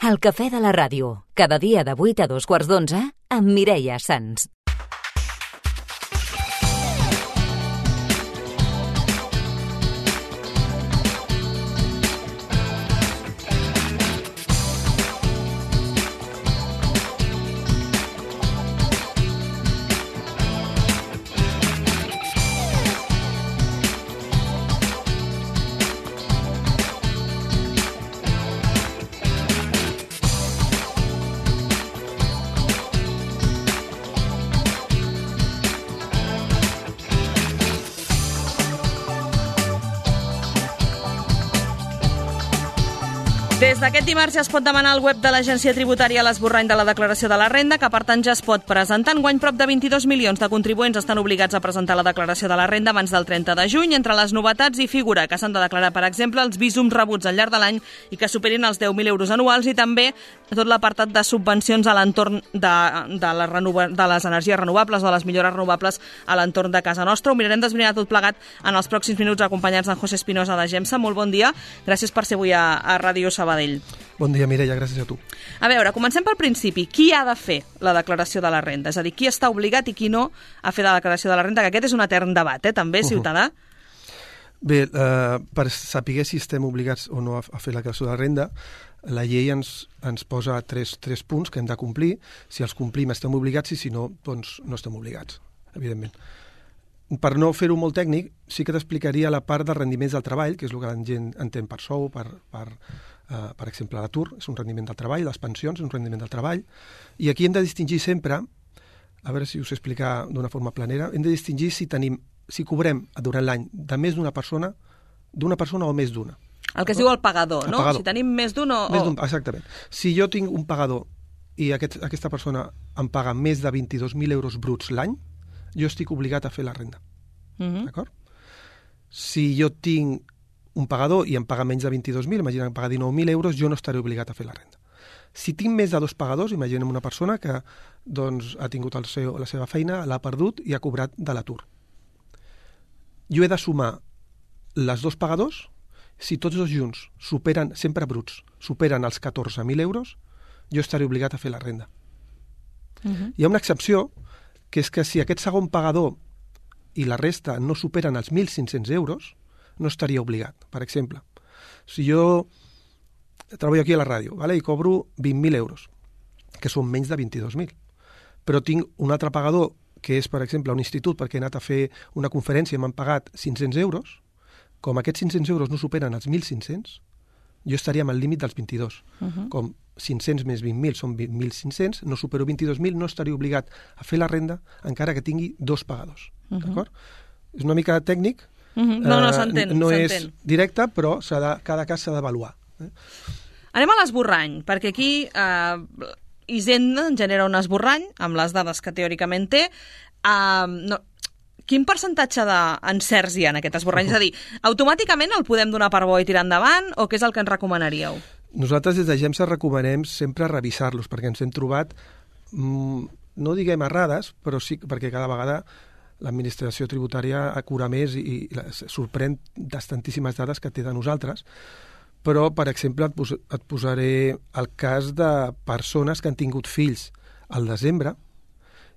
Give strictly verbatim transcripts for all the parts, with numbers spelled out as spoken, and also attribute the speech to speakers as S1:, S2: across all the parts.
S1: El cafè de la ràdio, cada dia de vuit a dos quarts d'onze, amb Mireia Sans.
S2: Des d'aquest dimarts ja es pot demanar al web de l'Agència Tributària l'esborrany de la declaració de la renda, que per tant ja es pot presentar. Enguany prop de vint-i-dos milions de contribuents estan obligats a presentar la declaració de la renda abans del trenta de juny. Entre les novetats hi figura que s'han de declarar, per exemple, els visums rebuts al llarg de l'any i que superin els deu mil euros anuals, i també tot l'apartat de subvencions a l'entorn de, de, la renova, de les energies renovables o de les millores renovables a l'entorn de casa nostra. Ho mirarem d'esbrinar tot plegat en els pròxims minuts, acompanyats d'en José Espinosa de Gemsa. Molt bon dia. Gràcies per ser avui a, a Ràdio Sabadell.
S3: Bon dia, Mireia, gràcies a tu.
S2: A veure, comencem pel principi. Qui ha de fer la declaració de la renda? És a dir, qui està obligat i qui no a fer la declaració de la renda? Que aquest és un etern debat, eh, també, ciutadà.
S3: Uh-huh. Bé, eh, per saber si estem obligats o no a, a fer la declaració de la renda, la llei ens, ens posa tres, tres punts que hem de complir. Si els complim estem obligats i si no, doncs no estem obligats, evidentment. Per no fer-ho molt tècnic, sí que t'explicaria la part dels rendiments del treball, que és el que la gent entén per sou, per, per, uh, per exemple, l'atur, és un rendiment del treball, les pensions és un rendiment del treball, i aquí hem de distingir sempre, a veure si us ho explicar d'una forma planera, hem de distingir si tenim, si cobrem durant l'any de més d'una persona, d'una persona o més d'una.
S2: El que es diu el pagador, no? El pagador. Si tenim més d'un o...
S3: Més d'un, exactament. Si jo tinc un pagador i aquest, aquesta persona em paga més de vint-i-dos mil euros bruts l'any, jo estic obligat a fer la renda. Uh-huh. D'acord? Si jo tinc un pagador i em paga menys de vint-i-dos mil, imagina que em paga dinou mil euros, jo no estaré obligat a fer la renda. Si tinc més de dos pagadors, imaginem una persona que doncs, ha tingut el seu, la seva feina, l'ha perdut i ha cobrat de l'atur. Jo he de sumar les dos pagadors, si tots dos junts superen, sempre bruts, superen els catorze mil euros, jo estaré obligat a fer la renda. Uh-huh. Hi ha una excepció, que és que si aquest segon pagador i la resta no superen els mil cinc-cents euros, no estaria obligat. Per exemple, si jo treballo aquí a la ràdio, vale, i cobro vint mil euros, que són menys de vint-i-dos mil, però tinc un altre pagador, que és, per exemple, un institut, perquè he anat a fer una conferència i m'han pagat cinc-cents euros, com aquests cinc-cents euros no superen els mil cinc-cents, jo estaria amb el límit dels vint-i-dos. Uh-huh. Com cinc-cents més vint mil són vint mil cinc-cents, no supero vint-i-dos mil, no estaria obligat a fer la renda encara que tingui dos pagadors. Uh-huh. D'acord? És una mica tècnic.
S2: Uh-huh. No, no, s'entén.
S3: Uh, no
S2: s'entén.
S3: És directe, però s'ha de, cada cas s'ha d'avaluar. Eh?
S2: Anem a l'esborrany, perquè aquí eh, Hisenda genera un esborrany amb les dades que teòricament té. Eh, no, quin percentatge d'encerts hi ha en aquest esborrany? Uh-huh. És a dir, automàticament el podem donar per bo i tirar endavant, o què és el que ens recomanaríeu?
S3: Nosaltres des de Gemsa recomanem sempre revisar-los, perquè ens hem trobat, mmm, no diguem errades, però sí perquè cada vegada l'administració tributària cura més i, i sorprèn de tantíssimes dades que té de nosaltres. Però, per exemple, et, pos et posaré el cas de persones que han tingut fills al desembre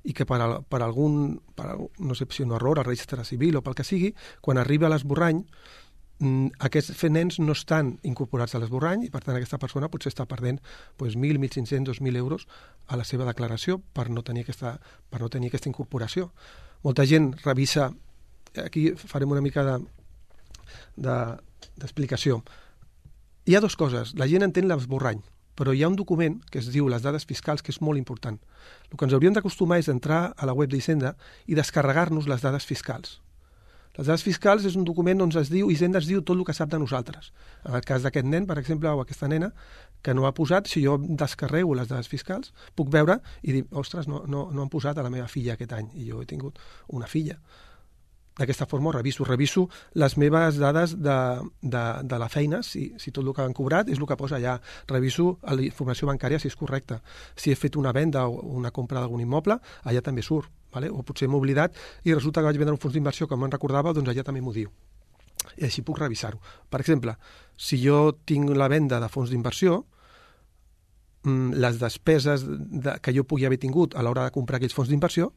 S3: i que per, al, per algun, per, no sé si un error al registre civil o pel que sigui, quan arriba a l'esborrany, aquests nens no estan incorporats a l'esborrany i per tant aquesta persona potser està perdent doncs, mil, mil cinc-cents, dos mil euros a la seva declaració per no tenir aquesta, per no tenir aquesta incorporació. Molta gent revisa, aquí farem una mica de, de, d'explicació. Hi ha dues coses, la gent entén l'esborrany, però hi ha un document que es diu les dades fiscals que és molt important. El que ens hauríem d'acostumar és entrar a la web d'Hisenda i descarregar-nos les dades fiscals. Les dades fiscals és un document on es diu, Hisenda es diu tot el que sap de nosaltres. En el cas d'aquest nen, per exemple, o aquesta nena, que no ha posat, si jo descarrego les dades fiscals, puc veure i dir, ostres, no, no, no han posat a la meva filla aquest any, i jo he tingut una filla. D'aquesta forma ho reviso. Reviso les meves dades de, de, de la feina, si, si tot el que han cobrat és el que posa allà. Reviso la informació bancària si és correcta. Si he fet una venda o una compra d'algun immoble, allà també surt. Vale? O potser m'he oblidat i resulta que vaig vendre un fons d'inversió que me'n recordava, doncs allà també m'ho diu. I així puc revisar-ho. Per exemple, si jo tinc la venda de fons d'inversió, les despeses de, que jo pugui haver tingut a l'hora de comprar aquells fons d'inversió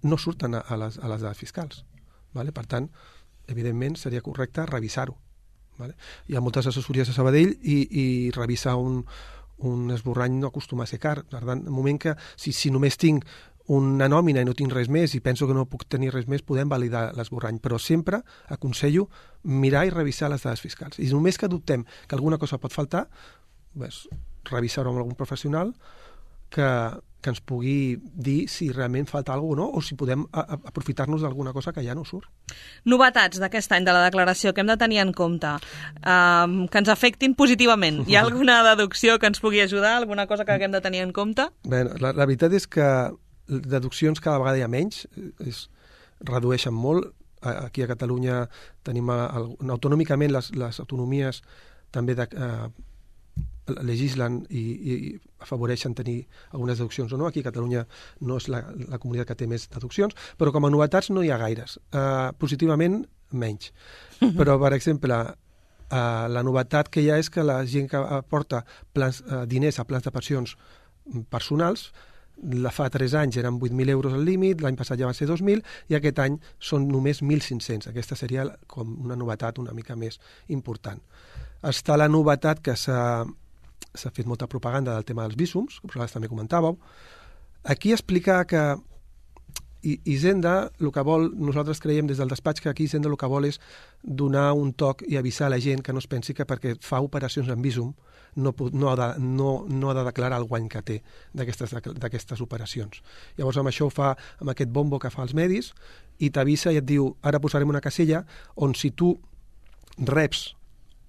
S3: no surten a, a, les, a les dades fiscals. Vale? Per tant, evidentment, seria correcte revisar-ho. Vale? Hi ha moltes assessories a Sabadell i, i revisar un, un esborrany no acostuma a ser car. Per tant, en el moment que, si, si només tinc una nòmina i no tinc res més i penso que no puc tenir res més, podem validar l'esborrany. Però sempre aconsello mirar i revisar les dades fiscals. I només que dubtem que alguna cosa pot faltar, pues, revisar-ho amb algun professional que, que ens pugui dir si realment falta alguna cosa o no, o si podem a, a, aprofitar-nos d'alguna cosa que ja no surt.
S2: Novetats d'aquest any de la declaració que hem de tenir en compte, um, que ens afectin positivament. Hi ha alguna deducció que ens pugui ajudar, alguna cosa que haguem de tenir en compte?
S3: Bé, la, la veritat és que deduccions cada vegada hi ha menys, es redueixen molt. Aquí a Catalunya tenim el, autonòmicament les, les autonomies també de, eh, legislen i, i afavoreixen tenir algunes deduccions o no. Aquí a Catalunya no és la, la comunitat que té més deduccions, però com a novetats no hi ha gaires. Uh, positivament, menys. Però, per exemple, uh, la novetat que hi ha és que la gent que aporta plans, uh, diners a plans de pensions personals, la fa tres anys eren vuit mil euros al límit, l'any passat ja van ser dos mil, i aquest any són només mil cinc-cents. Aquesta seria com una novetat una mica més important. Està la novetat que s'ha s'ha fet molta propaganda del tema dels vísums, que vosaltres també comentàveu. Aquí explicar que Hisenda, el que vol, nosaltres creiem des del despatx que aquí Hisenda el que vol és donar un toc i avisar a la gent que no es pensi que perquè fa operacions en vísum no, no, ha, de, no, no ha de declarar el guany que té d'aquestes operacions. Llavors amb això ho fa amb aquest bombo que fa als medis i t'avisa i et diu, ara posarem una casella on si tu reps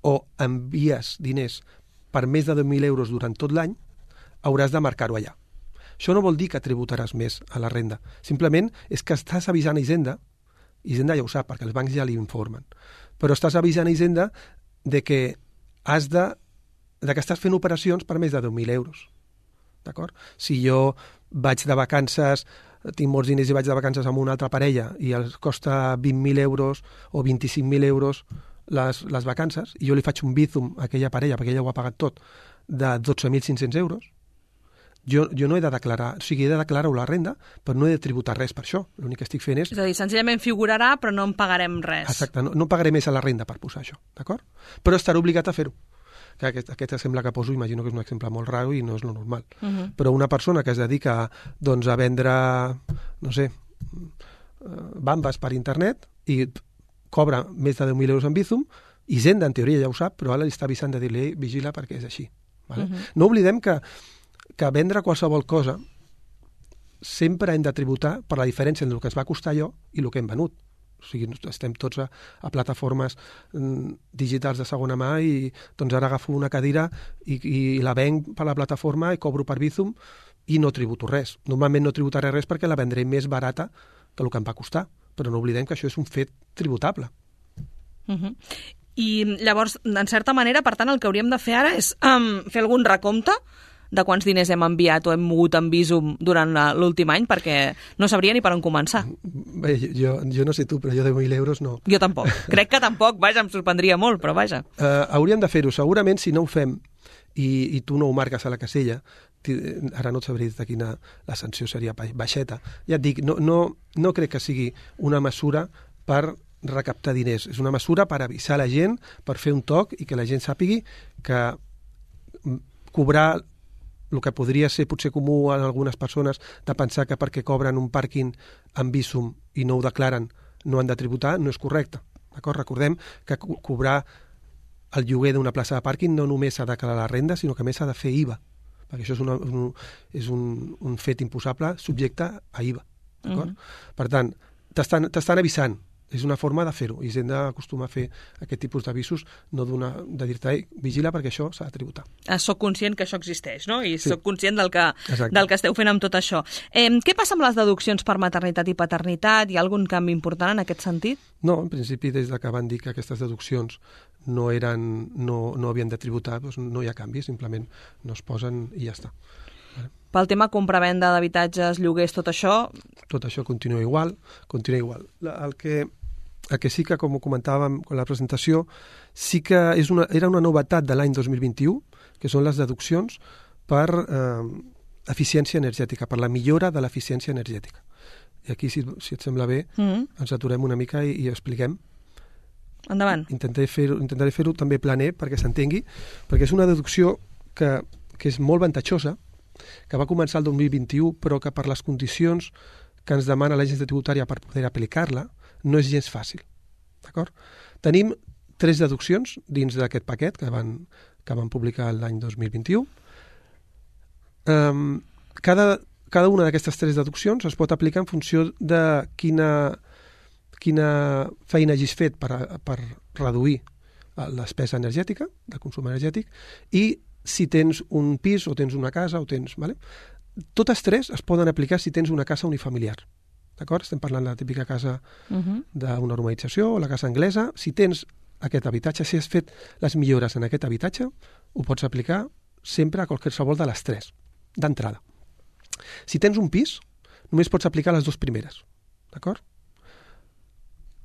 S3: o envies diners per més de deu mil euros durant tot l'any, hauràs de marcar-ho allà. Això no vol dir que tributaràs més a la renda. Simplement és que estàs avisant a Hisenda, Hisenda ja ho sap, perquè els bancs ja li informen, però estàs avisant a Hisenda de que has de, de que estàs fent operacions per més de deu mil euros. D'acord? Si jo vaig de vacances, tinc molts diners i vaig de vacances amb una altra parella i els costa vint mil euros o vint-i-cinc mil euros les, les vacances, i jo li faig un bízum a aquella parella, perquè ella ho ha pagat tot, de dotze mil cinc-cents euros, jo, jo no he de declarar, o sigui, he de declarar-ho la renda, però no he de tributar res per això. L'únic que estic fent és...
S2: És a dir, senzillament figurarà, però no en pagarem res.
S3: Exacte, no, no pagaré més a la renda per posar això, d'acord? Però estaré obligat a fer-ho. Aquest, aquest exemple que poso, imagino que és un exemple molt raro i no és lo normal. Uh -huh. Però una persona que es dedica doncs, a vendre, no sé, bambes per internet i cobra més de deu mil euros en Bizum, Hisenda, en teoria, ja ho sap, però ara li està avisant de dir-li, vigila perquè és així. Vale? Uh -huh. No oblidem que, que vendre qualsevol cosa sempre hem de tributar per la diferència entre el que ens va costar allò i el que hem venut. O sigui, estem tots a, a plataformes mm, digitals de segona mà i doncs ara agafo una cadira i, i la venc per la plataforma i cobro per Bizum i no tributo res. Normalment no tributaré res perquè la vendré més barata que el que em va costar, però no oblidem que això és un fet tributable.
S2: Uh -huh. I llavors, en certa manera, per tant, el que hauríem de fer ara és um, fer algun recompte de quants diners hem enviat o hem mogut en Bizum durant l'últim any, perquè no sabria ni per on començar.
S3: Bé, jo, jo no sé tu, però jo deu mil euros no.
S2: Jo tampoc. Crec que tampoc, vaja, em sorprendria molt, però vaja.
S3: Uh, hauríem de fer-ho. Segurament, si no ho fem i, i tu no ho marques a la casella, ara no et sabré de quina la sanció seria baixeta. Ja et dic, no, no, no crec que sigui una mesura per recaptar diners. És una mesura per avisar la gent, per fer un toc i que la gent sàpigui que cobrar el que podria ser potser comú en algunes persones de pensar que perquè cobren un pàrquing amb Bizum i no ho declaren no han de tributar, no és correcte. D'acord? Recordem que co cobrar el lloguer d'una plaça de pàrquing no només s'ha de declarar la renda, sinó que a més s'ha de fer I V A, perquè això és, una, un, és un, un fet imposable subjecte a I V A. D'acord? Uh -huh. Per tant, t'estan avisant. És una forma de fer-ho. Hisenda acostuma a fer aquest tipus d'avisos, no de dir-te, vigila perquè això s'ha de tributar.
S2: Soc conscient que això existeix, no? I sí. Soc conscient del que,
S3: Exacte.
S2: del que esteu fent amb tot això. Eh, què passa amb les deduccions per maternitat i paternitat? Hi ha algun canvi important en aquest sentit?
S3: No, en principi, des de que van dir que aquestes deduccions no, eren, no, no havien de tributar, doncs no hi ha canvi, simplement no es posen i ja està.
S2: Pel tema compra-venda d'habitatges, lloguers, tot això...
S3: Tot això continua igual, continua igual. El que, el que sí que, com ho comentàvem en la presentació, sí que és una, era una novetat de l'any dos mil vint-i-u, que són les deduccions per eh, eficiència energètica, per la millora de l'eficiència energètica. I aquí, si, si et sembla bé, mm-hmm. ens aturem una mica i, i expliquem.
S2: Endavant.
S3: Intentaré fer-ho intentaré fer-ho també planer perquè s'entengui, perquè és una deducció que, que és molt avantatjosa, que va començar el dos mil vint-i-u, però que per les condicions que ens demana l'agència tributària per poder aplicar-la no és gens fàcil. D'acord? Tenim tres deduccions dins d'aquest paquet que van, que van publicar l'any dos mil vint-i-u. Um, cada, cada una d'aquestes tres deduccions es pot aplicar en funció de quina, quina feina hagis fet per, per reduir la despesa energètica, el consum energètic, i si tens un pis o tens una casa o tens... Vale? Totes tres es poden aplicar si tens una casa unifamiliar. D'acord? Estem parlant de la típica casa uh-huh. d'una urbanització o la casa anglesa. Si tens aquest habitatge, si has fet les millores en aquest habitatge, ho pots aplicar sempre a qualsevol de les tres, d'entrada. Si tens un pis, només pots aplicar les dues primeres. D'acord?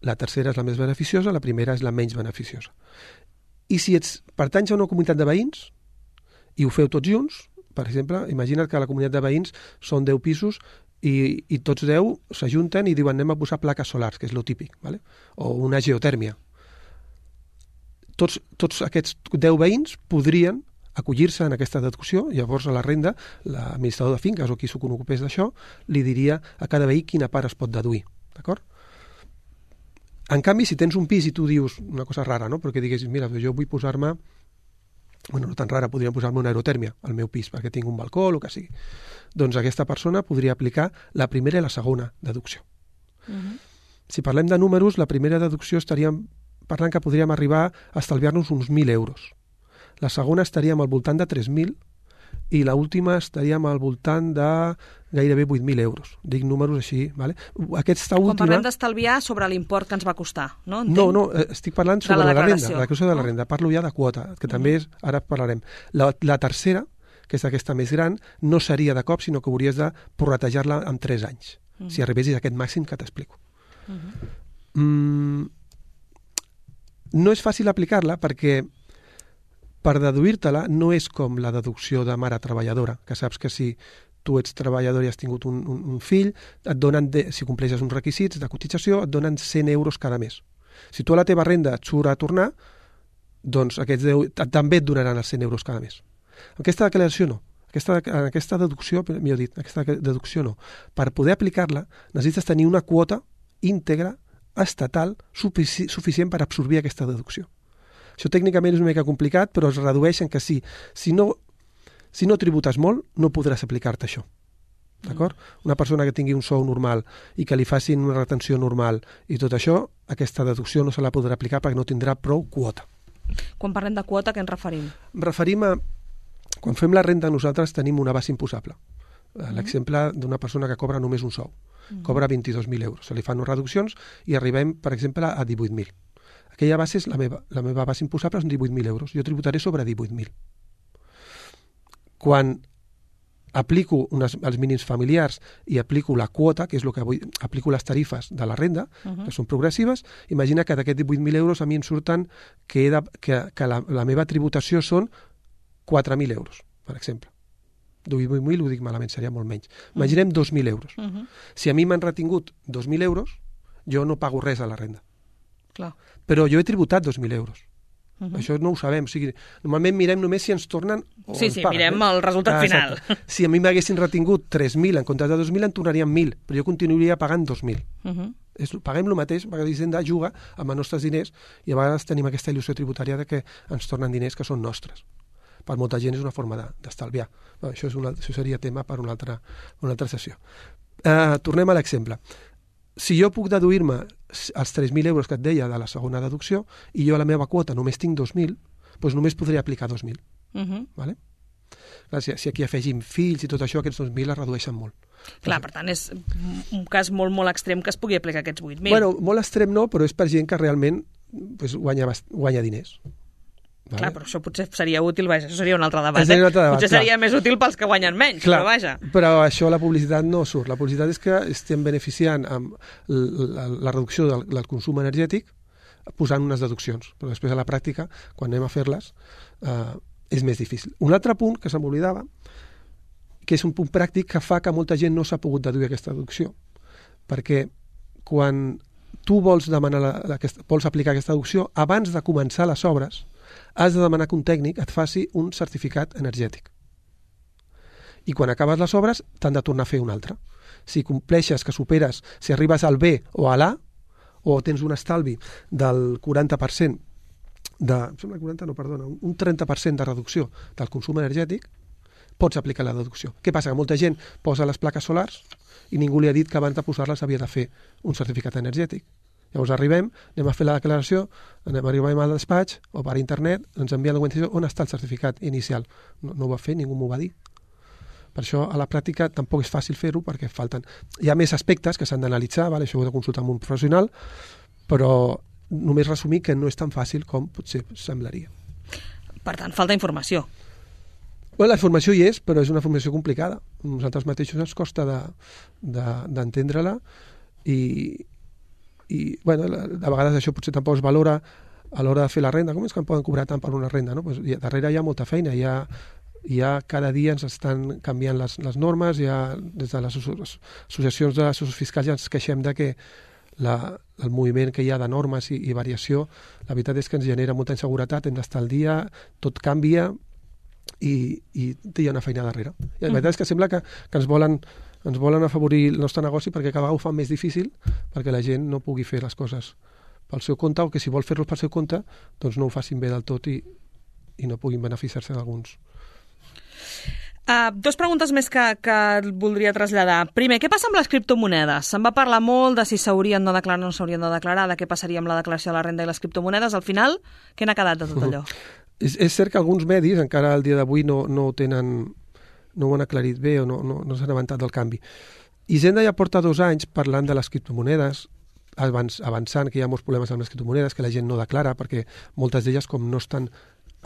S3: La tercera és la més beneficiosa, la primera és la menys beneficiosa. I si ets pertanys a una comunitat de veïns i ho feu tots junts, per exemple, imagina't que la comunitat de veïns són deu pisos i, i tots deu s'ajunten i diuen anem a posar plaques solars, que és lo típic, ¿vale? O una geotèrmia. Tots, tots aquests deu veïns podrien acollir-se en aquesta deducció, llavors a la renda, l'administrador de finques o qui s'ho ocupés d'això, li diria a cada veí quina part es pot deduir, d'acord? En canvi, si tens un pis i tu dius una cosa rara, no? Perquè diguessis, mira, jo vull posar-me, bueno, no tan rara, podria posar-me una aerotèrmia al meu pis perquè tinc un balcó o el que sigui. Doncs aquesta persona podria aplicar la primera i la segona deducció. Uh-huh. Si parlem de números, la primera deducció estaríem parlant que podríem arribar a estalviar-nos uns mil euros. La segona estaríem al voltant de tres mil i l'última estaríem al voltant de gairebé vuit mil euros. Dic números així, ¿vale? Aquesta última...
S2: Quan parlem d'estalviar sobre l'import que ens va costar, no? Entenc?
S3: No, no, estic parlant sobre
S2: la,
S3: la, la renda, la
S2: declaració
S3: de la renda. Parlo ja de quota, que mm. també és, ara parlarem. La, la tercera, que és aquesta més gran, no seria de cop, sinó que hauries de prorratejar-la en tres anys, mm. si arribessis a aquest màxim que t'explico. Mm-hmm. Mm, no és fàcil aplicar-la perquè per deduir-te-la no és com la deducció de mare treballadora, que saps que si tu ets treballador i has tingut un, un, un fill, et donen, de, si compleixes uns requisits de cotització, et donen cent euros cada mes. Si tu a la teva renda et surt a tornar, doncs aquests deu, també et donaran els cent euros cada mes. Aquesta declaració no. Aquesta, aquesta deducció, millor dit, aquesta deducció no. Per poder aplicar-la necessites tenir una quota íntegra estatal sufici, suficient per absorbir aquesta deducció. Això tècnicament és una mica complicat, però es redueix en que sí, si no, si no tributes molt, no podràs aplicar-te això. D'acord? Mm. Una persona que tingui un sou normal i que li facin una retenció normal i tot això, aquesta deducció no se la podrà aplicar perquè no tindrà prou quota.
S2: Quan parlem de quota, què ens referim?
S3: Em referim a... Quan fem la renda, nosaltres tenim una base imposable. Mm. L'exemple d'una persona que cobra només un sou. Mm. Cobra vint-i-dos mil euros. Se li fan unes reduccions i arribem, per exemple, a divuit mil. Aquella base és la meva, la meva base imposable són divuit mil euros. Jo tributaré sobre divuit mil. Quan aplico unes, els mínims familiars i aplico la quota, que és el que vull, aplico les tarifes de la renda, uh-huh. que són progressives, imagina que d'aquests divuit mil euros a mi em surten que, he de, que, que la, la meva tributació són quatre mil euros, per exemple. divuit mil ho dic malament, seria molt menys. Imaginem uh-huh. dos mil euros. Uh-huh. Si a mi m'han retingut dos mil euros, jo no pago res a la renda.
S2: Clar.
S3: Però jo he tributat dos mil euros. Uh-huh. Això no ho sabem. O sigui, normalment mirem només si ens tornen o
S2: sí,
S3: ens
S2: sí,
S3: paguen.
S2: Mirem eh? el resultat ah, final.
S3: Si a mi m'haguessin retingut tres mil en comptes de dos mil, em tornarien mil, però jo continuaria pagant dos mil. Uh-huh. És, paguem el mateix, perquè l'Hisenda juga amb els nostres diners i a vegades tenim aquesta il·lusió tributària de que ens tornen diners que són nostres. Per molta gent és una forma d'estalviar. De, no, això, és una, això seria tema per una altra, una altra sessió. Uh, tornem a l'exemple. Si jo puc deduir-me els tres mil euros que et deia de la segona deducció i jo a la meva quota només tinc dos mil, doncs només podria aplicar dos mil. Uh-huh. Vale? Clar, si, si aquí afegim fills i tot això, aquests dos mil es redueixen molt.
S2: Clar, per tant, és un cas molt, molt extrem que es pugui aplicar aquests vuit mil.
S3: Bueno, molt extrem no, però és per gent que realment pues, guanya, guanya diners. Vale?
S2: Clar, però això potser seria útil, vaja, això seria un altre debat.
S3: Seria un altre debat
S2: potser
S3: clar.
S2: seria més útil pels que guanyen menys,
S3: clar,
S2: però vaja.
S3: Però això la publicitat no surt. La publicitat és que estem beneficiant amb la, la reducció del, del consum energètic posant unes deduccions. Però després a la pràctica, quan anem a fer-les, eh, és més difícil. Un altre punt que se m'oblidava, que és un punt pràctic que fa que molta gent no s'ha pogut deduir aquesta deducció. Perquè quan tu vols demanar la, la, vols aplicar aquesta deducció, abans de començar les obres, has de demanar que un tècnic et faci un certificat energètic. I quan acabes les obres, t'han de tornar a fer un altre. Si compleixes, que superes, si arribes al B o a l'A, o tens un estalvi del quaranta per cent, de, sembla quaranta, no, perdona, un trenta per cent de reducció del consum energètic, pots aplicar la deducció. Què passa? Que molta gent posa les plaques solars i ningú li ha dit que abans de posar-les havia de fer un certificat energètic. Llavors arribem, anem a fer la declaració, anem, arribem al despatx o per internet, ens envien la documentació on està el certificat inicial. No, no ho va fer, ningú m'ho va dir. Per això, a la pràctica, tampoc és fàcil fer-ho perquè falten... Hi ha més aspectes que s'han d'analitzar, vale? Això ho he de consultar amb un professional, però només resumir que no és tan fàcil com potser semblaria.
S2: Per tant, falta informació.
S3: Bueno, la informació hi és, però és una informació complicada. A nosaltres mateixos ens costa d'entendre-la de, de, i, i bueno, de vegades això potser tampoc es valora a l'hora de fer la renda. Com és que em poden cobrar tant per una renda? No? Pues, darrere hi ha molta feina, hi ha, hi ha cada dia ens estan canviant les, les normes, hi ha, des de les associacions de assessors fiscals ja ens queixem de que la, el moviment que hi ha de normes i, i variació, la veritat és que ens genera molta inseguretat, hem d'estar al dia, tot canvia, i, i hi ha una feina darrere. I la veritat és que sembla que, que ens, volen, ens volen afavorir el nostre negoci perquè cada vegada ho fan més difícil perquè la gent no pugui fer les coses pel seu compte o que si vol fer-los pel seu compte doncs no ho facin bé del tot i, i no puguin beneficiar-se d'alguns.
S2: Uh, dos preguntes més que, que voldria traslladar. Primer, què passa amb les criptomonedes? Se'n va parlar molt de si s'haurien de declarar o no s'haurien de declarar, de què passaria amb la declaració de la renda i les criptomonedes. Al final, què n'ha quedat de tot allò?
S3: És, és cert que alguns medis encara al dia d'avui no, no ho tenen, no ho han aclarit bé o no, no, no s'han avançat del canvi. Hisenda ja porta dos anys parlant de les criptomonedes, abans, avançant que hi ha molts problemes amb les criptomonedes, que la gent no declara, perquè moltes d'elles, com no estan,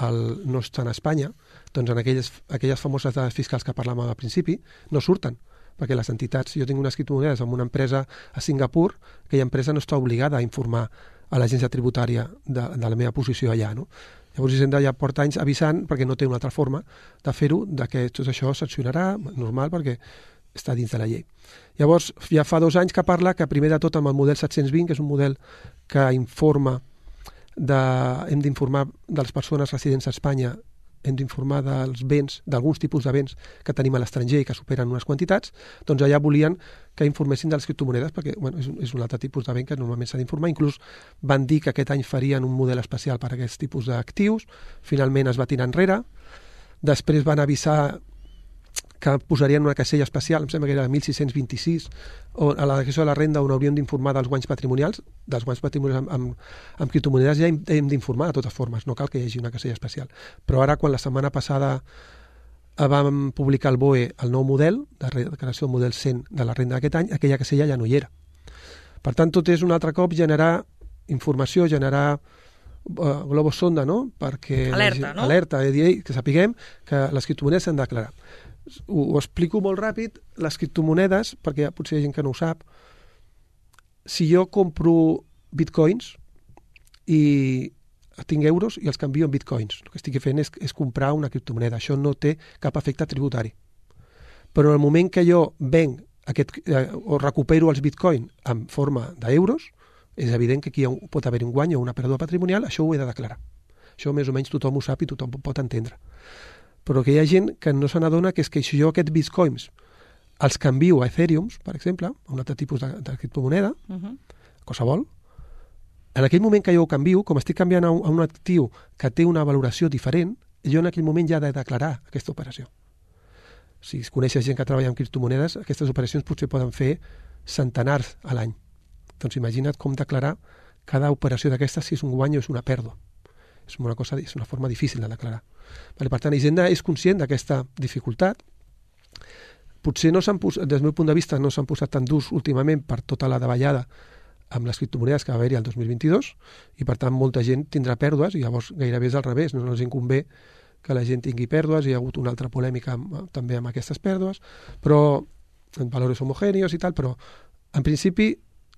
S3: al, no estan a Espanya, doncs en aquelles, aquelles famoses dades fiscals que parlàvem al principi, no surten, perquè les entitats, jo tinc unes criptomonedes amb una empresa a Singapur, aquella empresa no està obligada a informar a l'agència tributària de, de la meva posició allà, no? Llavors Hisenda ja porta anys avisant, perquè no té una altra forma de fer-ho, de que tot això sancionarà, normal, perquè està dins de la llei. Llavors, ja fa dos anys que parla que primer de tot amb el model set-cents vint, que és un model que informa de, hem d'informar de les persones residents a Espanya, hem d'informar dels béns, d'alguns tipus de béns que tenim a l'estranger i que superen unes quantitats, doncs allà volien que informessin de les criptomonedes, perquè bueno, és, un, és un altre tipus de bé que normalment s'ha d'informar. Inclús van dir que aquest any farien un model especial per a aquests tipus d'actius, finalment es va tirar enrere, després van avisar que posarien una casella especial, em sembla que era mil sis-cents vint-i-sis, on, a la declaració de la renda on hauríem d'informar dels guanys patrimonials, dels guanys patrimonials amb, amb, amb criptomonedes ja hem, hem d'informar de totes formes, no cal que hi hagi una casella especial. Però ara, quan la setmana passada vam publicar al B O E el nou model, de declaració del model cent de la renda d'aquest any, aquella casella ja no hi era. Per tant, tot és un altre cop generar informació, generar uh, globus sonda, no? Perquè
S2: alerta, no?
S3: Alerta, és dir, que sapiguem que les criptomonedes s'han de declarar. Ho, ho explico molt ràpid, les criptomonedes, perquè potser hi ha gent que no ho sap, si jo compro bitcoins i tinc euros i els canvio en bitcoins, el que estic fent és, és comprar una criptomoneda, això no té cap efecte tributari. Però en el moment que jo venc aquest, eh, o recupero els bitcoins en forma d'euros, és evident que aquí hi ha, pot haver un guany o una pèrdua patrimonial, això ho he de declarar. Això més o menys tothom ho sap i tothom ho pot entendre. Però que hi ha gent que no se n'adona que és que si jo aquests bitcoins els canvio a Ethereum, per exemple, a un altre tipus de, de criptomoneda, uh-huh. qualsevol, en aquell moment que jo ho canvio, com estic canviant a un, a un actiu que té una valoració diferent, jo en aquell moment ja he de declarar aquesta operació. Si coneixes gent que treballa amb criptomonedes, aquestes operacions potser poden fer centenars a l'any. Doncs imagina't com declarar cada operació d'aquestes si és un guany o és una pèrdua. És una, cosa, és una forma difícil de declarar. Vale, per tant, Hisenda és conscient d'aquesta dificultat. Potser, no s'han posat, des del meu punt de vista, no s'han posat tan durs últimament per tota la davallada amb les criptomonedes que va haver-hi el dos mil vint-i-dos i, per tant, molta gent tindrà pèrdues i llavors gairebé és al revés. No els convé que la gent tingui pèrdues. Hi ha hagut una altra polèmica amb, també amb aquestes pèrdues, però en valors homogènios i tal, però en principi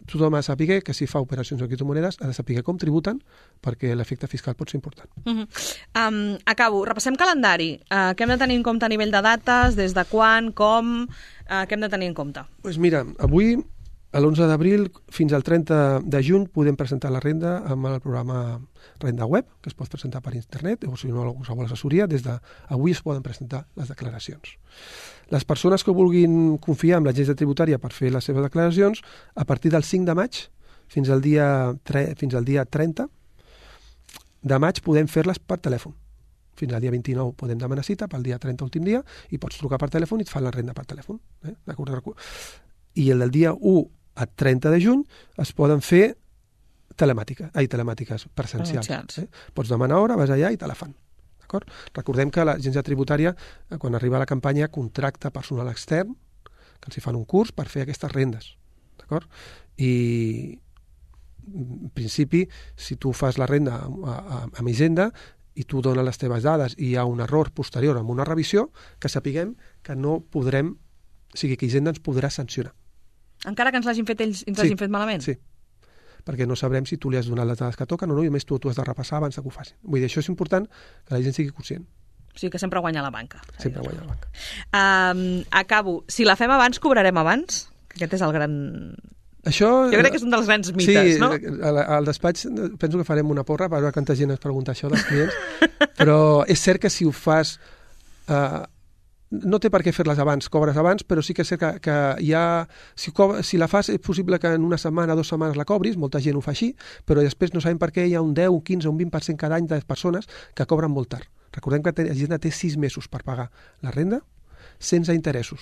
S3: tothom ha de saber que si fa operacions en criptomonedes ha de saber com tributen, perquè l'efecte fiscal pot ser important.
S2: Uh -huh. um, acabo. Repassem calendari. Uh, què hem de tenir en compte a nivell de dates? Des de quan? Com? Uh, què hem de tenir en compte?
S3: Doncs pues mira, avui, a l'onze d'abril fins al trenta de juny, podem presentar la renda amb el programa Renda Web, que es pot presentar per internet, o si no, qualsevol assessoria. Des d'avui es poden presentar les declaracions. Les persones que vulguin confiar en l'agència tributària per fer les seves declaracions, a partir del cinc de maig fins al dia, fins al dia trenta de maig podem fer-les per telèfon. Fins al dia vint-i-nou podem demanar cita, pel dia trenta, últim dia, i pots trucar per telèfon i et fan la renda per telèfon. Eh? I el del dia u a trenta de juny es poden fer telemàtiques, ai, telemàtiques presencials. Eh? Pots demanar hora, vas allà i te la fan. Recordem que l'agència tributària, quan arriba a la campanya, contracta personal extern, que els hi fan un curs per fer aquestes rendes. I, en principi, si tu fas la renda amb Hisenda i tu dones les teves dades i hi ha un error posterior amb una revisió, que sapiguem que no podrem, o sigui, que Hisenda ens podrà sancionar.
S2: Encara que ens l'hagin fet ells, ens l'hagin fet malament?
S3: Sí, perquè no sabrem si tu li has donat les dades que toquen o no, i a més tu, tu has de repassar abans que ho facin. Vull dir, això és important que la gent sigui conscient.
S2: O sigui que sempre guanya la banca.
S3: Sempre guanya la banca.
S2: Um, acabo. Si la fem abans, cobrarem abans? Aquest és el gran...
S3: Això,
S2: jo crec que és un dels grans mites,
S3: sí,
S2: no?
S3: Sí, al despatx penso que farem una porra per veure quanta gent es pregunta això dels clients, però és cert que si ho fas... Uh, no té per què fer-les abans, cobres abans, però sí que és cert que, que hi ha... Si, co si la fas, és possible que en una setmana, dues setmanes la cobris, molta gent ho fa així, però després no sabem per què hi ha un deu, un quinze, un vint per cent cada any de persones que cobren molt tard. Recordem que la gent té sis mesos per pagar la renda sense interessos.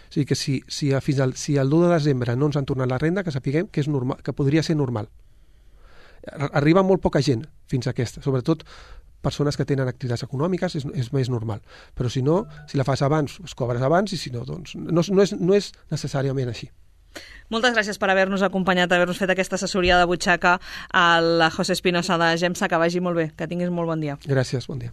S3: O sigui que si, si, fins al, si el deu de desembre no ens han tornat la renda, que sapiguem que, és normal, que podria ser normal. Arriba molt poca gent fins a aquesta, sobretot persones que tenen activitats econòmiques, és, és més normal. Però si no, si la fas abans, es cobres abans, i si no, doncs no, no, és, no és necessàriament així.
S2: Moltes gràcies per haver-nos acompanyat, haver-nos fet aquesta assessoria de butxaca a la José Espinosa de Gemsa. Que vagi molt bé, que tinguis molt bon dia.
S3: Gràcies, bon dia.